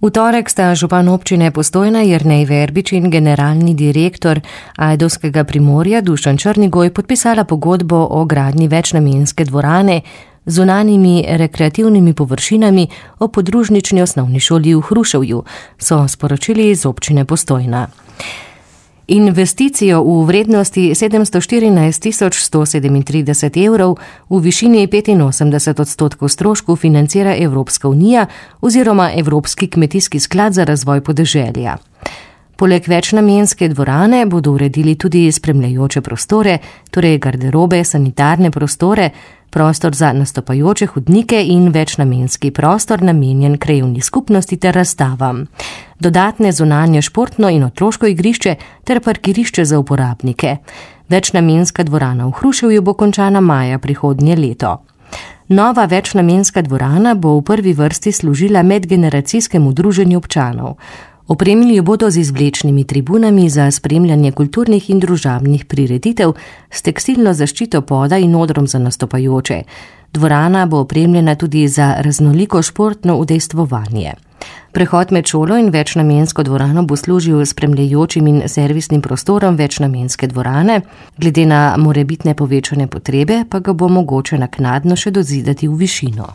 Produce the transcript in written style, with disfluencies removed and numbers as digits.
V torek sta župan občine Postojna Jernej Verbič in generalni direktor Ajdovskega Primorja Dušan Črnigoj podpisala pogodbo o gradnji večnamenske dvorane z zunanjimi rekreativnimi površinami o podružnični osnovni šoli v Hruševju, so sporočili iz občine Postojna. Investicijo v vrednosti 714 137 evrov v višini 85% stroškov financira Evropska unija oziroma Evropski kmetijski sklad za razvoj podeželja. Poleg večnamenske dvorane bodo uredili tudi spremljajoče prostore, torej garderobe, sanitarne prostore, prostor za nastopajoče hodnike in večnamenski prostor namenjen krajevni skupnosti ter razstavam. Dodatne zunanje športno in otroško igrišče ter parkirišče za uporabnike. Večnamenska dvorana v Hruševju bo končana maja prihodnje leto. Nova večnamenska dvorana bo v prvi vrsti služila medgeneracijskemu druženju občanov. Opremili jo bodo z izvlečnimi tribunami za spremljanje kulturnih in družabnih prireditev, s tekstilno zaščito poda in odrom za nastopajoče. Dvorana bo opremljena tudi za raznoliko športno udejstvovanje. Prehod med šolo in večnamensko dvorano bo služil spremljajočim in servisnim prostorom večnamenske dvorane, glede na morebitne povečane potrebe pa ga bo mogoče naknadno še dozidati v višino.